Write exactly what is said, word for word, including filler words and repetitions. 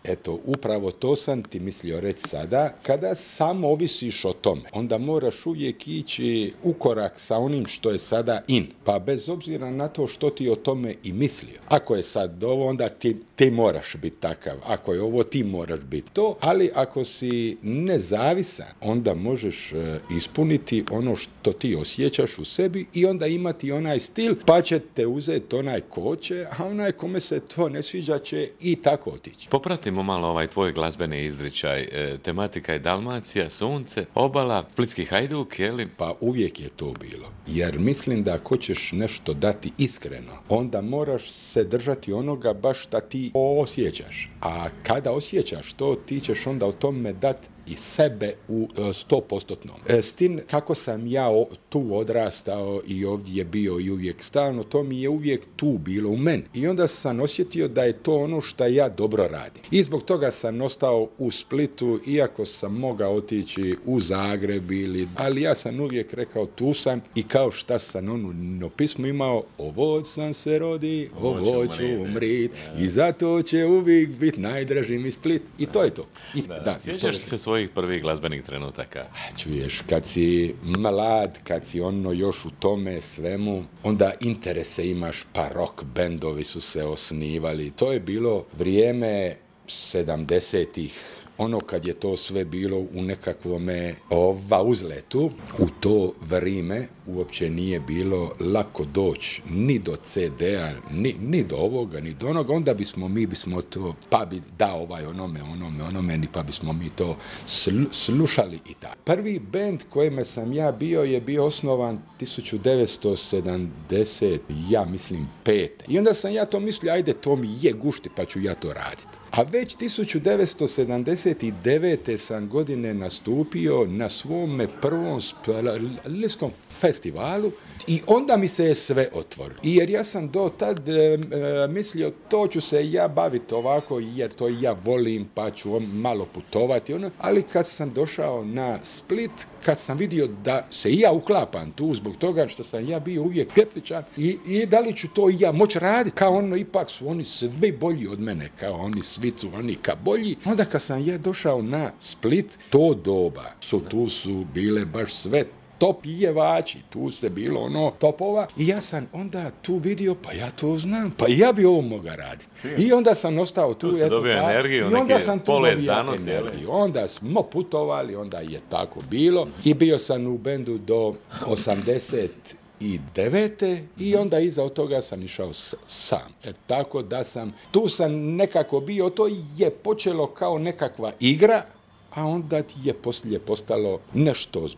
Eto, upravo to sam ti mislio reći sada. Kada samo ovisiš o tome, onda moraš uvijek ići u korak sa onim što je sada in. Pa bez obzira na to što ti o tome i mislio. Ako je sad ovo, onda ti, ti moraš biti takav. Ako je ovo, ti moraš biti to. Ali ako si nezavisan, onda možeš ispuniti ono što ti osjećaš u sebi i onda imati onaj stil, pa će te uzeti onaj ko će, a onaj kome se to ne sviđa će i tako otići. Popratimo malo ovaj tvoj glazbeni izričaj. E, tematika je Dalmacija, sunce, obala, Splitski Hajduk, je li? Pa uvijek je to bilo. Jer mislim da ako ćeš nešto dati iskreno, onda moraš se držati onoga baš šta ti osjećaš. A kada osjećaš to, ti ćeš onda o tome dati i sebe u sto postotnom. S tim kako sam ja tu odrastao i ovdje je bio i uvijek stalno, to mi je uvijek tu bilo u meni. I onda sam osjetio da je to ono što ja dobro radim. I zbog toga sam ostao u Splitu, iako sam mogao otići u Zagreb ili, ali ja sam uvijek rekao tu sam i kao šta sam ono no pismo imao, ovo sam se rodi, ovo ću umrit i zato će uvijek biti najdraži mi Split. I to je to. I, da, da, sjećaš se svojih prvih glazbenih trenutaka? Čuješ, kad si mlad, kad si ono još u tome svemu, onda interese imaš, pa rock bendovi su se osnivali. To je bilo vrijeme sedamdesetih, ono kad je to sve bilo u nekakvome ova uzletu. U to vrijeme uopće nije bilo lako doći ni do ce de a, ni, ni do ovoga, ni do onoga. Onda bismo, mi bismo to, pa bi dao ovaj onome, onome, onome, pa bismo mi to sl, slušali i tako. Prvi bend kojime sam ja bio je bio osnovan tisuću devetsto sedamdeset, ja mislim, pete. I onda sam ja to mislio, ajde, to mi je gušti, pa ću ja to raditi. A već tisuću devetsto sedamdeset devete sam godine nastupio na svome prvom splitskom festivalu i onda mi se je sve otvorilo. I jer ja sam do tad e, mislio, to ću se ja baviti ovako jer to ja volim, pa ću malo putovati. Ono. Ali kad sam došao na Split, kad sam vidio da se ja uklapam tu zbog toga što sam ja bio uvijek skeptičan i, i da li ću to ja moći raditi, kao ono, ipak su oni svi bolji od mene, kao oni svi su oni ka bolji. Onda kad sam ja došao na Split, to doba su, tu su bile baš sve top jevači, tu se bilo ono topova i ja sam onda tu vidio, pa ja to znam, pa ja bi ovo mogao raditi. I onda sam ostao tu. Tu se dobio energiju, neki polet zanos. Onda smo putovali, onda je tako bilo i bio sam u bendu do osamdeset i devete i onda iza toga sam išao s, sam. E, tako da sam, tu sam nekako bio, to je počelo kao nekakva igra, a onda ti je poslije postalo nešto ozbiljno.